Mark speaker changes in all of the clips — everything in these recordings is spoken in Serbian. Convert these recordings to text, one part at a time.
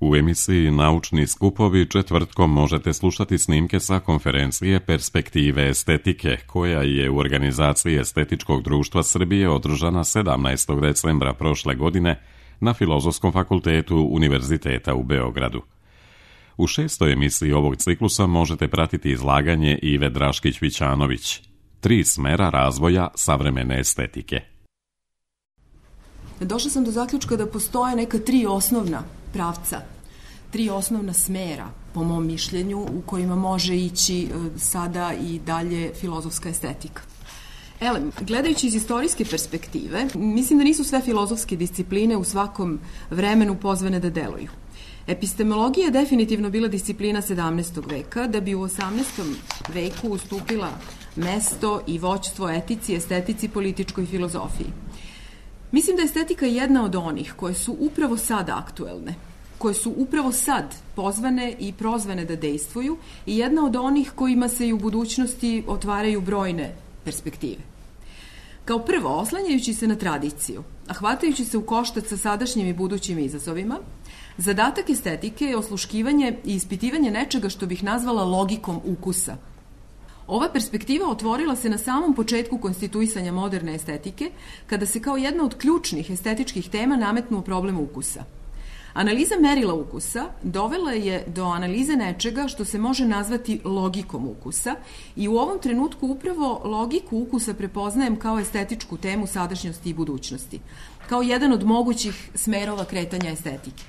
Speaker 1: U emisiji Naučni skupovi četvrtkom možete slušati snimke sa konferencije Perspektive estetike, koja je u organizaciji Estetičkog društva Srbije održana 17. decembra prošle godine na Filozofskom fakultetu Univerziteta u Beogradu. U 6. emisiji ovog ciklusa možete pratiti izlaganje Ive Draškić-Vićanović, 3 smera razvoja savremene estetike.
Speaker 2: Došla sam do zaključka da postoje neka 3 osnovna pravca, 3 osnovna smera, po mom mišljenju, u kojima može ići sada i dalje filozofska estetika. Gledajući iz istorijske perspektive, mislim da nisu sve filozofske discipline u svakom vremenu pozvane da deluju. Epistemologija je definitivno bila disciplina 17. veka, da bi u 18. veku ustupila mesto i vođstvo etici, estetici, političkoj filozofiji. Mislim da je estetika jedna od onih koje su upravo sad aktuelne, koje su upravo sad pozvane i prozvane da dejstvuju i jedna od onih kojima se i u budućnosti otvaraju brojne perspektive. Kao prvo, oslanjajući se na tradiciju, a hvatajući se u koštac sa sadašnjim i budućim izazovima, zadatak estetike je osluškivanje i ispitivanje nečega što bih nazvala logikom ukusa. Ova perspektiva otvorila se na samom početku konstituisanja moderne estetike, kada se kao jedna od ključnih estetičkih tema nametnuo problem ukusa. Analiza merila ukusa dovela je do analize nečega što se može nazvati logikom ukusa i u ovom trenutku upravo logiku ukusa prepoznajem kao estetičku temu sadašnjosti i budućnosti, kao jedan od mogućih smerova kretanja estetike.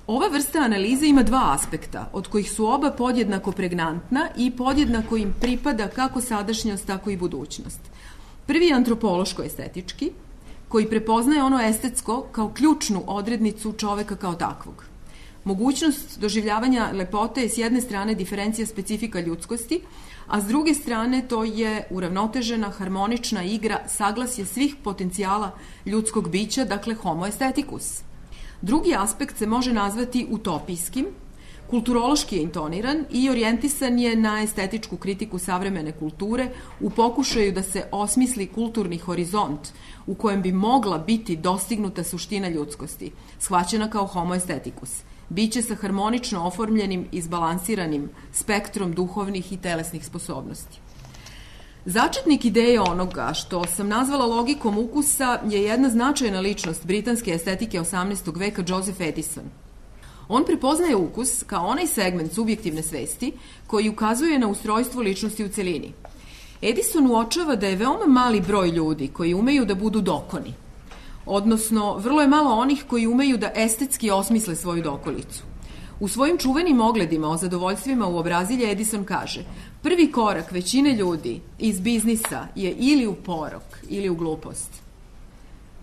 Speaker 2: Ova vrsta analize ima 2 aspekta, od kojih su oba podjednako pregnantna i podjednako im pripada kako sadašnjost, tako i budućnost. Prvi je antropološko-estetički, koji prepoznaje ono estetsko kao ključnu odrednicu čoveka kao takvog. Mogućnost doživljavanja lepote je s jedne strane diferencija specifika ljudskosti, a s druge strane to je uravnotežena, harmonična igra, saglasje svih potencijala ljudskog bića, dakle homo aestheticus. Drugi aspekt se može nazvati utopijskim, kulturološki je intoniran i orijentisan je na estetičku kritiku savremene kulture u pokušaju da se osmisli kulturni horizont u kojem bi mogla biti dostignuta suština ljudskosti, shvaćena kao homo aestheticus, biće sa harmonično oformljenim i izbalansiranim spektrom duhovnih i telesnih sposobnosti. Začetnik ideje onoga što sam nazvala logikom ukusa je jedna značajna ličnost britanske estetike 18. veka, Joseph Addison. On prepoznaje ukus kao onaj segment subjektivne svesti koji ukazuje na ustrojstvo ličnosti u celini. Addison uočava da je veoma mali broj ljudi koji umeju da budu dokoni, odnosno vrlo je malo onih koji umeju da estetski osmisle svoju dokolicu. U svojim čuvenim ogledima o zadovoljstvima u obrazilje Addison kaže: prvi korak većine ljudi iz biznisa je ili u porok ili u glupost.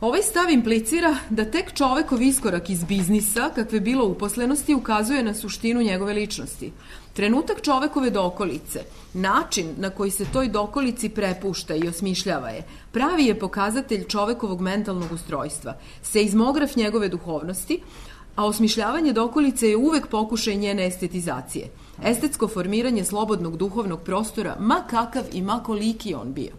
Speaker 2: Ovaj stav implicira da tek čovekov iskorak iz biznisa, kakve bilo uposlenosti, ukazuje na suštinu njegove ličnosti. Trenutak čovekove dokolice, način na koji se toj dokolici prepušta i osmišljava je, pravi je pokazatelj čovekovog mentalnog ustrojstva, seizmograf njegove duhovnosti, a osmišljavanje dokolice je uvek pokušaj njene estetizacije. Estetsko formiranje slobodnog duhovnog prostora, ma kakav i ma koliki on bio.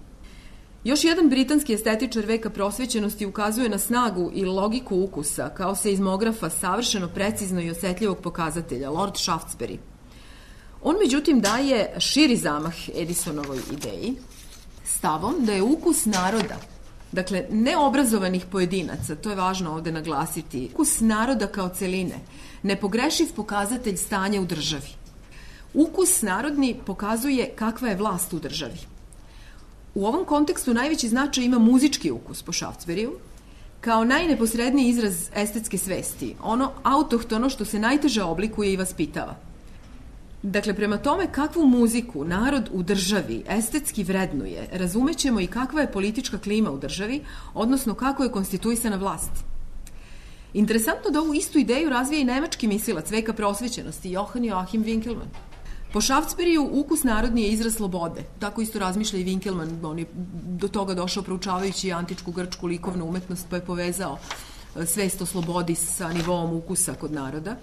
Speaker 2: Još jedan britanski estetičar veka prosvećenosti ukazuje na snagu i logiku ukusa kao seizmografa savršeno precizno i osetljivog pokazatelja, Lord Shaftesbury. On međutim daje širi zamah Addisonovoj ideji stavom da je ukus naroda, dakle neobrazovanih pojedinaca, to je važno ovde naglasiti, ukus naroda kao celine, nepogrešiv pokazatelj stanja u državi. Ukus narodni pokazuje kakva je vlast u državi. U ovom kontekstu najveći značaj ima muzički ukus po Shaftesburyu, kao najneposredniji izraz estetske svesti, ono autohtono što se najteže oblikuje i vaspitava. Dakle, prema tome kakvu muziku narod u državi estetski vrednuje, razumećemo i kakva je politička klima u državi, odnosno kako je konstituisana vlast. Interesantno da ovu istu ideju razvija i nemački mislilac veka prosvećenosti, Johann Joachim Winckelmann. Po Shaftesburyu ukus narodni je izraz slobode. Tako isto razmišlja i Winckelmann, on je do toga došao proučavajući antičku grčku likovnu umetnost, pa je povezao svest o slobodi sa nivoom ukusa kod naroda.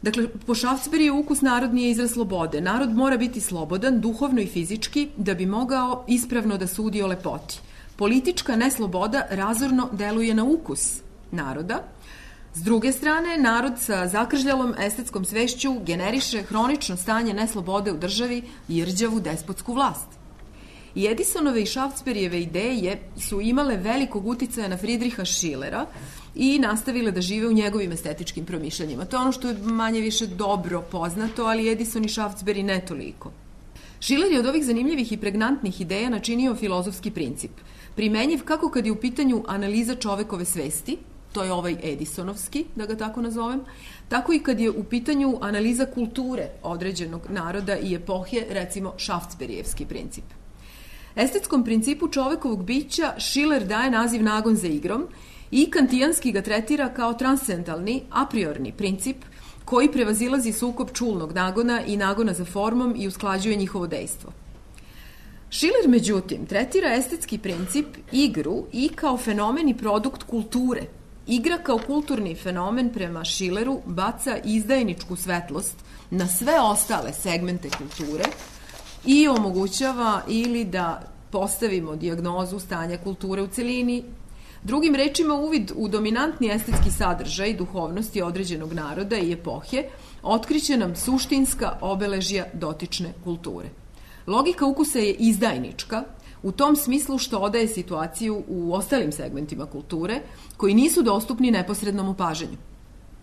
Speaker 2: Dakle, po Shaftesburyu ukus narodni je izraz slobode. Narod mora biti slobodan, duhovno i fizički, da bi mogao ispravno da sudi o lepoti. Politička nesloboda razorno deluje na ukus naroda, S druge strane, narod sa zakržljalom estetskom svešću generiše hronično stanje neslobode u državi i rđavu despotsku vlast. I Edisonove i Šaftsberijeve ideje su imale velikog uticaja na Friedricha Schillera i nastavile da žive u njegovim estetičkim promišljanjima. To je ono što je manje više dobro poznato, ali Edison i Šaftsberi ne toliko. Schiller je od ovih zanimljivih i pregnantnih ideja načinio filozofski princip, primenjiv kako kad je u pitanju analiza čovekove svesti, to je ovaj Edisonovski, da ga tako nazovem, tako i kad je u pitanju analiza kulture određenog naroda i epohe, recimo Šaftsberijevski princip. Estetskom principu čovekovog bića Schiller daje naziv nagon za igrom i kantijanski ga tretira kao transcendentalni, a priorni princip koji prevazilazi sukob čulnog nagona i nagona za formom i usklađuje njihovo dejstvo. Schiller, međutim, tretira estetski princip, igru i kao fenomen i produkt kulture. Igra kao kulturni fenomen prema Schilleru baca izdajničku svetlost na sve ostale segmente kulture i omogućava ili da postavimo dijagnozu stanja kulture u celini. Drugim rečima, uvid u dominantni estetski sadržaj duhovnosti određenog naroda i epohe otkriće nam suštinska obeležja dotične kulture. Logika ukusa je izdajnička, u tom smislu što odaje situaciju u ostalim segmentima kulture koji nisu dostupni neposrednom opažanju.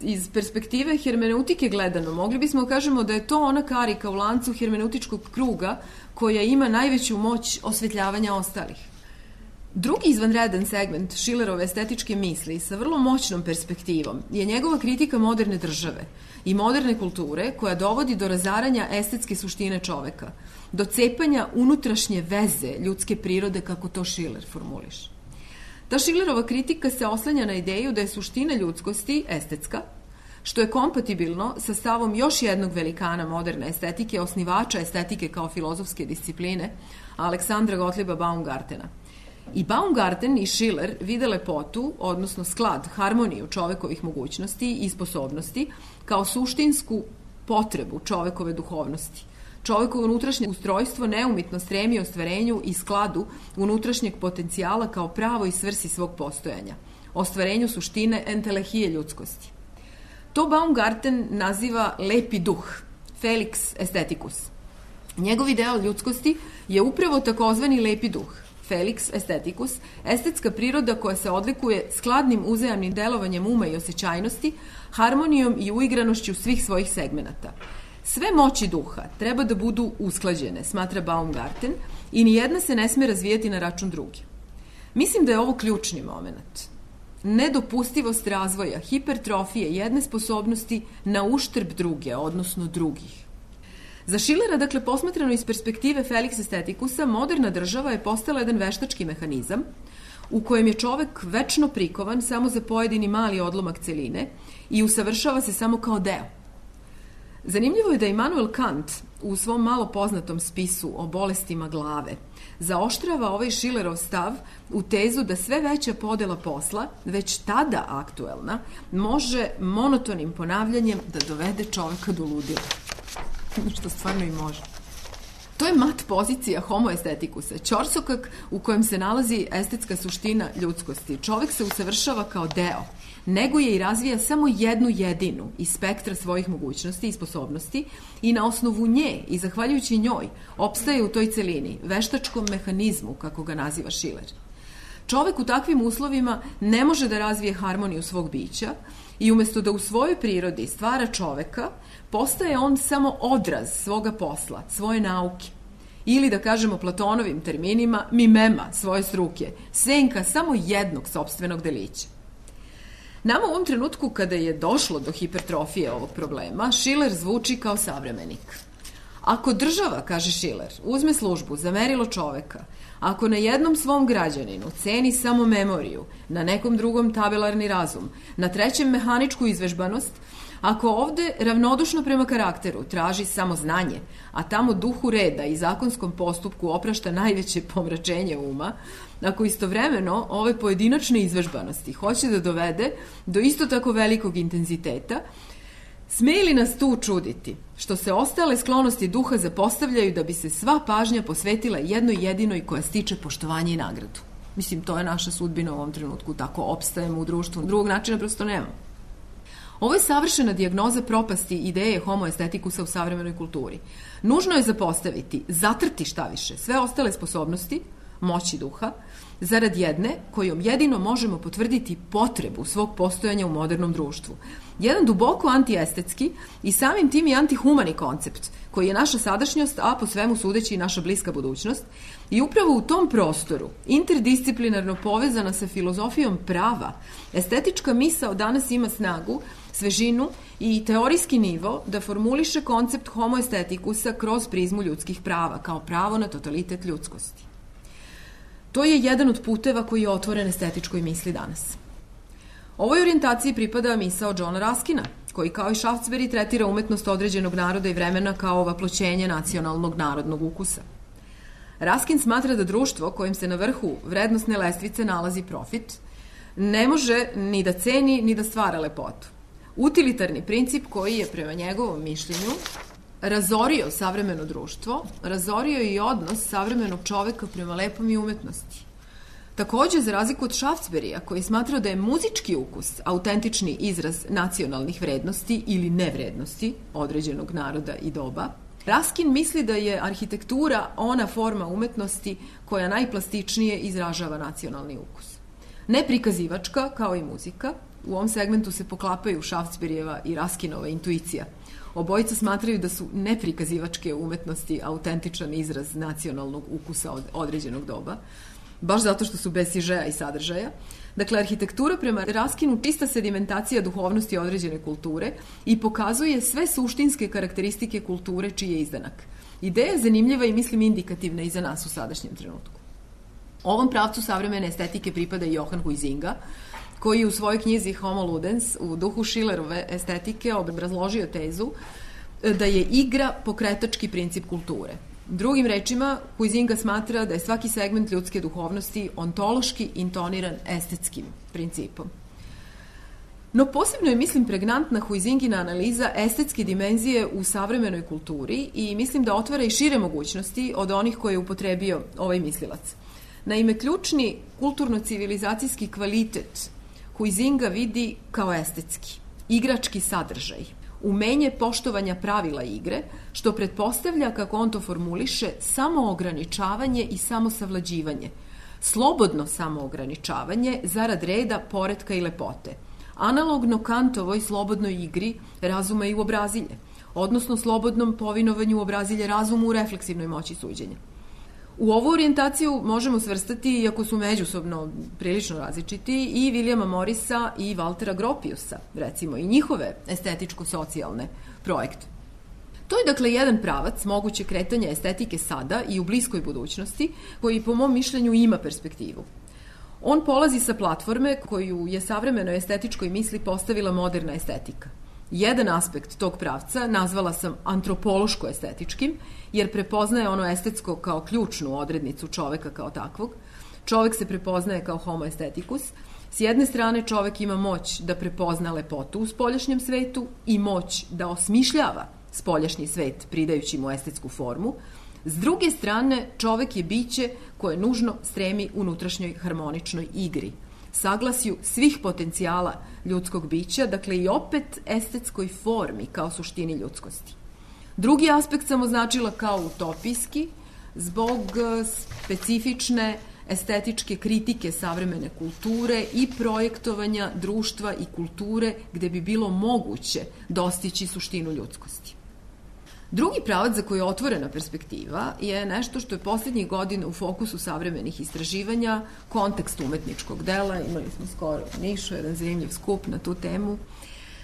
Speaker 2: Iz perspektive hermeneutike gledano, mogli bismo kažemo da je to ona karika u lancu hermeneutičkog kruga koja ima najveću moć osvetljavanja ostalih. Drugi izvanredan segment Schillerove estetičke misli sa vrlo moćnom perspektivom je njegova kritika moderne države i moderne kulture koja dovodi do razaranja estetske suštine čoveka, do cepanja unutrašnje veze ljudske prirode, kako to Schiller formuliše. Ta Schillerova kritika se oslanja na ideju da je suština ljudskosti estetska, što je kompatibilno sa stavom još jednog velikana moderne estetike, osnivača estetike kao filozofske discipline, Aleksandra Gottlieba Baumgartena. I Baumgarten i Schiller vide lepotu, odnosno sklad, harmoniju čovekovih mogućnosti i sposobnosti kao suštinsku potrebu čovekove duhovnosti. Čovekovo unutrašnje ustrojstvo neumitno stremi ostvarenju i skladu unutrašnjeg potencijala kao pravoj svrsi svog postojanja, ostvarenju suštine entelehije ljudskosti. To Baumgarten naziva lepi duh, felix aestheticus. Njegov ideal ljudskosti je upravo takozvani lepi duh, felix aestheticus, estetska priroda koja se odlikuje skladnim uzajamnim delovanjem uma i osjećajnosti, harmonijom i uigranošću svih svojih segmenata. Sve moći duha treba da budu usklađene, smatra Baumgarten, i nijedna se ne sme razvijati na račun druge. Mislim da je ovo ključni moment. Nedopustivost razvoja, hipertrofije jedne sposobnosti na uštrb druge, odnosno drugih. Za Schillera, dakle, posmatrano iz perspektive Felix Aestheticusa, moderna država je postala jedan veštački mehanizam u kojem je čovek večno prikovan samo za pojedini mali odlomak celine i usavršava se samo kao deo. Zanimljivo je da Immanuel Kant u svom malo poznatom spisu o bolestima glave zaoštrava ovaj Schillerov stav u tezu da sve veća podela posla, već tada aktuelna, može monotonim ponavljanjem da dovede čoveka do ludila. Što stvarno i može. To je mat pozicija homo aestheticusa, ćorsokak u kojem se nalazi estetska suština ljudskosti. Čovek se usavršava kao deo, neguje i razvija samo jednu jedinu iz spektra svojih mogućnosti i sposobnosti i na osnovu nje i zahvaljujući njoj opstaje u toj celini, veštačkom mehanizmu, kako ga naziva Schiller. Čovek u takvim uslovima ne može da razvije harmoniju svog bića i umesto da u svojoj prirodi stvara čoveka, postaje on samo odraz svoga posla, svoje nauke. Ili, da kažemo Platonovim terminima, mimema svoje struke, senka samo jednog sopstvenog delića. Nama u ovom trenutku, kada je došlo do hipertrofije ovog problema, Schiller zvuči kao savremenik. Ako država, kaže Schiller, uzme službu za merilo čoveka, ako na jednom svom građaninu ceni samo memoriju, na nekom drugom tabelarni razum, na trećem mehaničku izvežbanost, ako ovde ravnodušno prema karakteru traži samo znanje, a tamo duhu reda i zakonskom postupku oprašta najveće pomračenje uma, ako istovremeno ove pojedinačne izvežbanosti hoće da dovede do isto tako velikog intenziteta, sme li nas tu čuditi, što se ostale sklonosti duha zapostavljaju da bi se sva pažnja posvetila jednoj jedinoj koja stiče poštovanje i nagradu? Mislim, to je naša sudbina u ovom trenutku, tako opstajemo u društvu, drugog načina prosto nemamo. Ovo je savršena dijagnoza propasti ideje homo estetikusa u savremenoj kulturi. Nužno je zapostaviti, zatrti šta više, sve ostale sposobnosti, moći duha, zarad jedne kojom jedino možemo potvrditi potrebu svog postojanja u modernom društvu. Jedan duboko antiestetski i samim tim i antihumani koncept, koji je naša sadašnjost, a po svemu sudeći i naša bliska budućnost, i upravo u tom prostoru, interdisciplinarno povezana sa filozofijom prava, estetička misao danas ima snagu, svežinu i teorijski nivo da formuliše koncept homo estetikusa kroz prizmu ljudskih prava, kao pravo na totalitet ljudskosti. To je jedan od puteva koji je otvoren estetičkoj misli danas. Ovoj orijentaciji pripada misao Johna Ruskina, koji kao i Shaftesbury tretira umetnost određenog naroda i vremena kao vaploćenje nacionalnog narodnog ukusa. Ruskin smatra da društvo kojim se na vrhu vrednosne lestvice nalazi profit ne može ni da ceni ni da stvara lepotu. Utilitarni princip koji je prema njegovom mišljenju razorio savremeno društvo, razorio i odnos savremenog čoveka prema lepom i umetnosti. Takođe, za razliku od Shaftesburya, koji smatrao da je muzički ukus autentični izraz nacionalnih vrednosti ili nevrednosti određenog naroda i doba, Ruskin misli da je arhitektura ona forma umetnosti koja najplastičnije izražava nacionalni ukus. Neprikazivačka, kao i muzika, u ovom segmentu se poklapaju Shaftesburyjeva i Ruskinova intuicija. Obojica smatraju da su neprikazivačke umetnosti autentičan izraz nacionalnog ukusa od određenog doba, baš zato što su bez sižeja i sadržaja. Dakle, arhitektura prema Ruskinu čista sedimentacija duhovnosti određene kulture i pokazuje sve suštinske karakteristike kulture čiji je izdanak. Ideja je zanimljiva i mislim indikativna i za nas u sadašnjem trenutku. Ovom pravcu savremene estetike pripada i Johann Huizinga, koji u svojoj knjizi Homo Ludens u duhu Schillerove estetike obrazložio tezu da je igra pokretački princip kulture. Drugim rečima, Huizinga smatra da je svaki segment ljudske duhovnosti ontološki intoniran estetskim principom. No posebno je, mislim, pregnantna Huizingina analiza estetske dimenzije u savremenoj kulturi i mislim da otvara i šire mogućnosti od onih koje je upotrebio ovaj mislilac. Naime, ključni kulturno-civilizacijski kvalitet Huizinga vidi kao estetski, igrački sadržaj, umenje poštovanja pravila igre, što pretpostavlja, kako on to formuliše, samoograničavanje i samosavlađivanje, slobodno samoograničavanje zarad reda, poretka i lepote, analogno Kantovoj slobodnoj igri razuma i uobrazilje, odnosno slobodnom povinovanju uobrazilje razumu u refleksivnoj moći suđenja. U ovu orijentaciju možemo svrstati, iako su međusobno prilično različiti, i Williama Morrisa i Waltera Gropiusa, recimo, i njihove estetičko-socijalne projekte. To je dakle jedan pravac moguće kretanja estetike sada i u bliskoj budućnosti, koji po mom mišljenju ima perspektivu. On polazi sa platforme koju je savremenoj estetičkoj misli postavila moderna estetika. Jedan aspekt tog pravca nazvala sam antropološko-estetičkim, jer prepoznaje ono estetsko kao ključnu odrednicu čoveka kao takvog. Čovek se prepoznaje kao homo aestheticus. S jedne strane, čovek ima moć da prepozna lepotu u spoljašnjem svetu i moć da osmišljava spoljašnji svet pridajući mu estetsku formu. S druge strane, čovek je biće koje nužno stremi unutrašnjoj harmoničnoj igri, saglasju svih potencijala ljudskog bića, dakle i opet estetskoj formi kao suštini ljudskosti. Drugi aspekt sam označila kao utopijski, zbog specifične estetičke kritike savremene kulture i projektovanja društva i kulture gde bi bilo moguće dostići suštinu ljudskosti. Drugi pravac za koji je otvorena perspektiva je nešto što je poslednjih godina u fokusu savremenih istraživanja, kontekst umetničkog dela. Imali smo skoro u Nišu jedan zanimljiv skup na tu temu.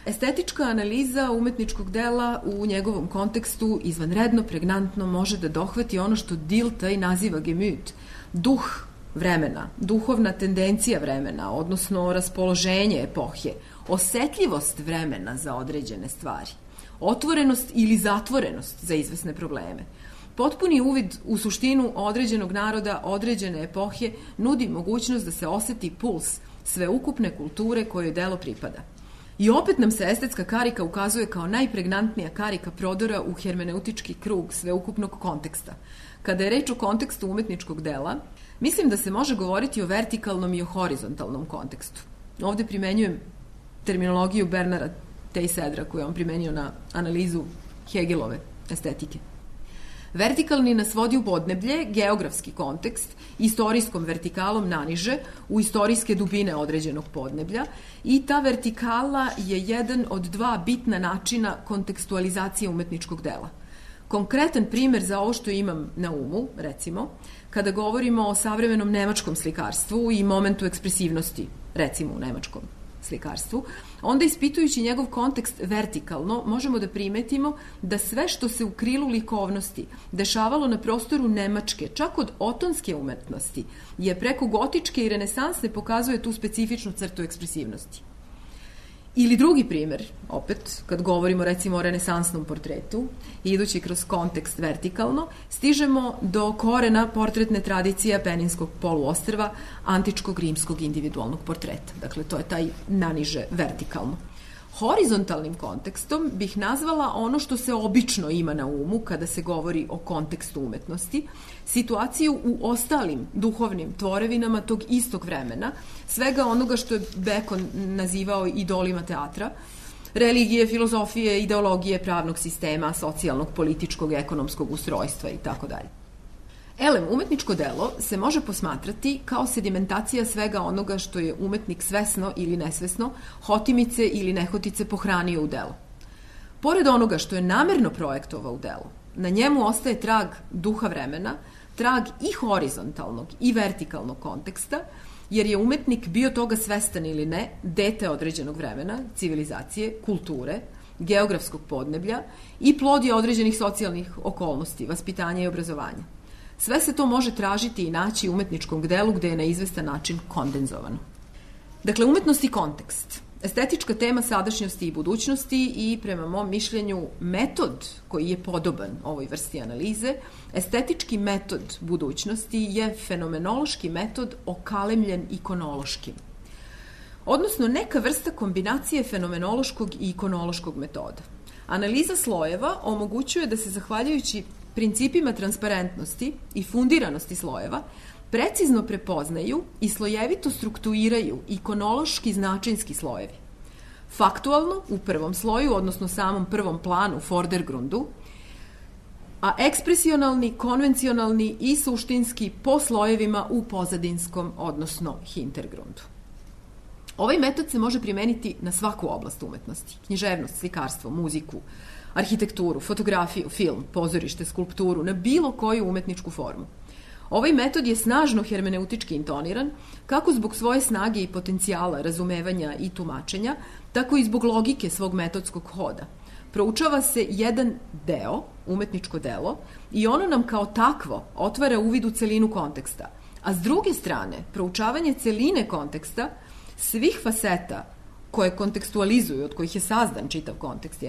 Speaker 2: Estetička analiza umetničkog dela u njegovom kontekstu izvanredno, pregnantno može da dohvati ono što Dilthey naziva Gemüt, duh vremena, duhovna tendencija vremena, odnosno raspoloženje epohe, osetljivost vremena za određene stvari, otvorenost ili zatvorenost za izvesne probleme. Potpuni uvid u suštinu određenog naroda, određene epohe nudi mogućnost da se oseti puls sveukupne kulture kojoj delo pripada. I opet nam se estetska karika ukazuje kao najpregnantnija karika prodora u hermeneutički krug sveukupnog konteksta. Kada je reč o kontekstu umetničkog dela, mislim da se može govoriti o vertikalnom i o horizontalnom kontekstu. Ovde primenjujem terminologiju Bernara Tej-Sedra koju je on primenio na analizu Hegelove estetike. Vertikalni nas vodi u podneblje, geografski kontekst, istorijskom vertikalom naniže u istorijske dubine određenog podneblja i ta vertikala je jedan od dva bitna načina kontekstualizacije umetničkog dela. Konkretan primer za ovo što imam na umu, recimo, kada govorimo o savremenom nemačkom slikarstvu i momentu ekspresivnosti, recimo u nemačkom slikarstvu, onda ispitujući njegov kontekst vertikalno možemo da primetimo da sve što se u krilu likovnosti dešavalo na prostoru Nemačke, čak od otonske umetnosti, je preko gotičke i renesansne pokazuje tu specifičnu crtu ekspresivnosti. Ili drugi primer, opet, kad govorimo recimo o renesansnom portretu, idući kroz kontekst vertikalno, stižemo do korena portretne tradicije Apeninskog poluostrva, antičkog rimskog individualnog portreta. Dakle, to je taj naniže vertikalno. Horizontalnim kontekstom bih nazvala ono što se obično ima na umu kada se govori o kontekstu umetnosti, situaciju u ostalim duhovnim tvorevinama tog istog vremena, svega onoga što je Bacon nazivao idolima teatra, religije, filozofije, ideologije pravnog sistema, socijalnog, političkog, ekonomskog ustrojstva i tako dalje. Elem, umetničko delo se može posmatrati kao sedimentacija svega onoga što je umetnik svesno ili nesvesno, hotimice ili nehotice pohranio u delo. Pored onoga što je namerno projektovao u delu, na njemu ostaje trag duha vremena, trag i horizontalnog i vertikalnog konteksta, jer je umetnik bio toga svestan ili ne, dete određenog vremena, civilizacije, kulture, geografskog podneblja i plod je određenih socijalnih okolnosti, vaspitanja i obrazovanja. Sve se to može tražiti i naći u umetničkom delu gde je na izvestan način kondenzovano. Dakle, umetnost i kontekst. Estetička tema sadašnjosti i budućnosti i, prema mom mišljenju, metod koji je podoban ovoj vrsti analize, estetički metod budućnosti je fenomenološki metod okalemljen ikonološkim. Odnosno, neka vrsta kombinacije fenomenološkog i ikonološkog metoda. Analiza slojeva omogućuje da se, zahvaljujući principima transparentnosti i fundiranosti slojeva, precizno prepoznaju i slojevito strukturiraju ikonološki značinski slojevi. Faktualno u prvom sloju, odnosno samom prvom planu, vordergrundu, a ekspresionalni, konvencionalni i suštinski po slojevima u pozadinskom, odnosno hintergrundu. Ovaj metod se može primeniti na svaku oblast umetnosti, književnost, slikarstvo, muziku, arhitekturu, fotografiju, film, pozorište, skulpturu, na bilo koju umetničku formu. Ovaj metod je snažno hermeneutički intoniran, kako zbog svoje snage i potencijala razumevanja i tumačenja, tako i zbog logike svog metodskog hoda. Proučava se jedan deo, umetničko delo, i ono nam kao takvo otvara uvid u celinu konteksta. A s druge strane, proučavanje celine konteksta, svih faseta koje kontekstualizuju, od kojih je sazdan čitav kontekst,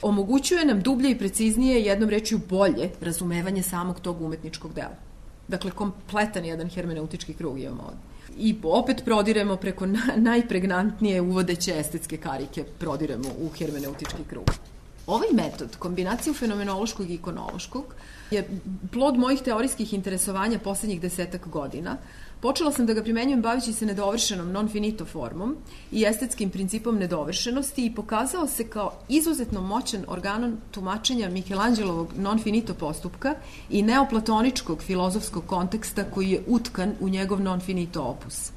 Speaker 2: omogućuje nam dublje i preciznije, jednom rečju bolje, razumevanje samog tog umetničkog dela. Dakle, kompletan jedan hermeneutički krug imamo ovdje. I opet prodiremo preko najpregnantnije uvodeće estetske karike, prodiremo u hermeneutički krug. Ovaj metod, kombinaciju fenomenološkog i ikonološkog, je plod mojih teorijskih interesovanja poslednjih 10 godina. Počela sam da ga primenjujem bavići se nedovršenom non finito formom i estetskim principom nedovršenosti i pokazao se kao izuzetno moćan organon tumačenja Michelangelovog non finito postupka i neoplatoničkog filozofskog konteksta koji je utkan u njegov non finito opus.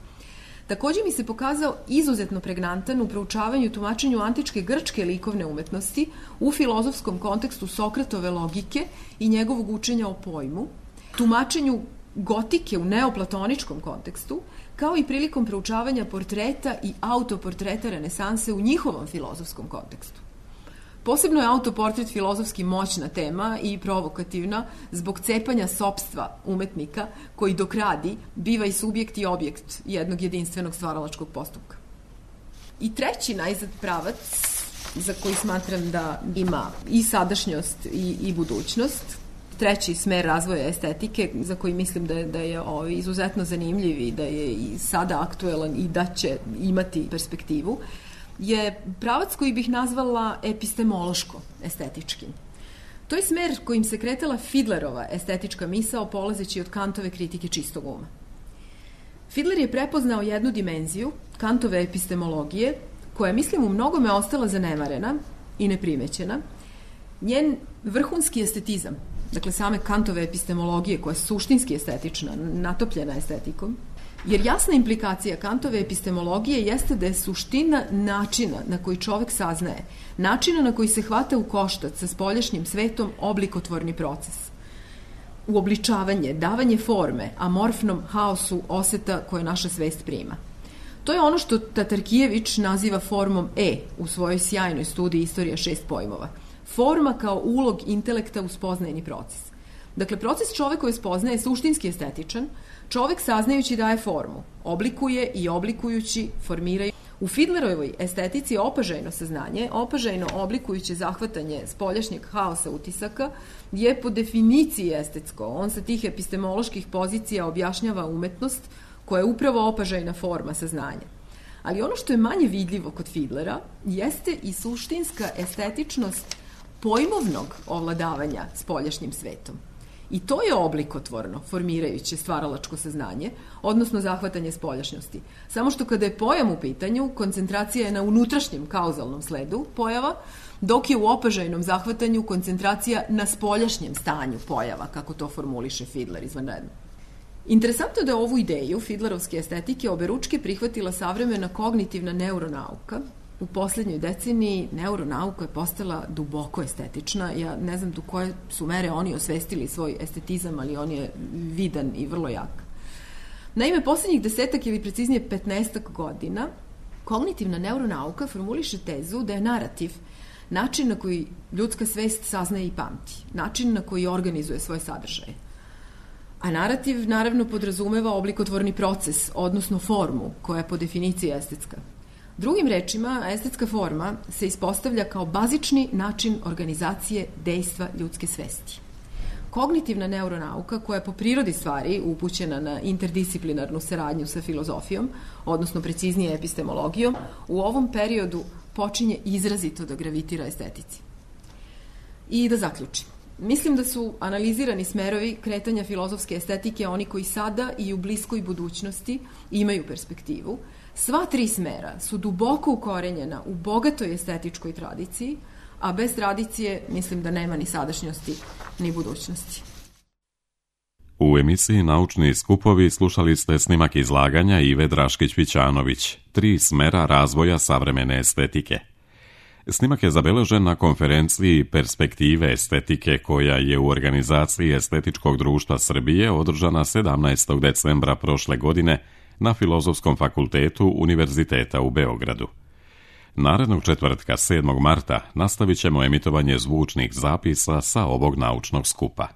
Speaker 2: Takođe mi se pokazao izuzetno pregnantan u proučavanju i tumačenju antičke grčke likovne umetnosti u filozofskom kontekstu Sokratove logike i njegovog učenja o pojmu, tumačenju gotike u neoplatoničkom kontekstu, kao i prilikom proučavanja portreta i autoportreta renesanse u njihovom filozofskom kontekstu. Posebno je autoportret filozofski moćna tema i provokativna zbog cepanja sopstva umetnika koji dok radi biva i subjekt i objekt jednog jedinstvenog stvaralačkog postupka. I treći najzad pravac za koji smatram da ima i sadašnjost i budućnost, treći smer razvoja estetike za koji mislim da je izuzetno zanimljiv i da je i sada aktuelan i da će imati perspektivu, je pravac koji bih nazvala epistemološko-estetičkim. To je smer kojim se kretala Fidlerova estetička misao polazeći od Kantove kritike čistog uma. Fidler je prepoznao jednu dimenziju Kantove epistemologije koja je, mislim, u mnogome ostala zanemarena i neprimećena. Njen vrhunski estetizam, dakle same Kantove epistemologije, koja je suštinski estetična, natopljena estetikom, jer jasna implikacija Kantove epistemologije jeste da je suština načina na koji čovek saznaje, načina na koji se hvata u koštac sa spoljašnjim svetom oblikotvorni proces. Uobličavanje, davanje forme amorfnom haosu oseta koje naša svest prima. To je ono što Tatarkijević naziva formom u svojoj sjajnoj studiji Istorija 6 pojmova. Forma kao ulog intelekta u spoznajni proces. Dakle, proces čovekove spoznaje je suštinski estetičan, čovek saznajući daje formu, oblikuje i oblikujući formiraju. U Fidlerovoj estetici opažajno saznanje, opažajno oblikujuće zahvatanje spoljašnjeg haosa utisaka je po definiciji estetsko. On sa tih epistemoloških pozicija objašnjava umetnost koja je upravo opažajna forma saznanja. Ali ono što je manje vidljivo kod Fidlera jeste i suštinska estetičnost pojmovnog ovladavanja spoljašnjim svetom. I to je oblikotvorno, formirajuće stvaralačko saznanje, odnosno zahvatanje spoljašnjosti. Samo što kada je pojam u pitanju, koncentracija je na unutrašnjem kauzalnom sledu pojava, dok je u opažajnom zahvatanju koncentracija na spoljašnjem stanju pojava, kako to formuliše Fidler izvanredno. Interesantno da je ovu ideju Fidlerovske estetike oberučke prihvatila savremena kognitivna neuronauka. U poslednjoj deceniji neuronauka je postala duboko estetična. Ja ne znam do koje su mere oni osvestili svoj estetizam, ali on je vidan i vrlo jak. Naime, poslednjih 10 ili preciznije 15 godina kognitivna neuronauka formuliše tezu da je narativ način na koji ljudska svest saznaje i pamti, način na koji organizuje svoje sadržaje. A narativ naravno podrazumeva oblikotvorni proces, odnosno formu, koja je po definiciji estetska. Drugim rečima, estetska forma se ispostavlja kao bazični način organizacije dejstva ljudske svesti. Kognitivna neuronauka, koja je po prirodi stvari upućena na interdisciplinarnu saradnju sa filozofijom, odnosno preciznije epistemologijom, u ovom periodu počinje izrazito da gravitira estetici. I da zaključim. Mislim da su analizirani smerovi kretanja filozofske estetike oni koji sada i u bliskoj budućnosti imaju perspektivu. Sva 3 smera su duboko ukorenjena u bogatoj estetičkoj tradiciji, a bez tradicije mislim da nema ni sadašnjosti ni budućnosti.
Speaker 1: U emisiji Naučni skupovi slušali ste snimak izlaganja Ive Draškić-Vićanović, 3 smera razvoja savremene estetike. Snimak je zabeležen na konferenciji Perspektive estetike koja je u organizaciji Estetičkog društva Srbije održana 17. decembra prošle godine na Filozofskom fakultetu Univerziteta u Beogradu. Narednog četvrtka, 7. marta, nastavit ćemo emitovanje zvučnih zapisa sa ovog naučnog skupa.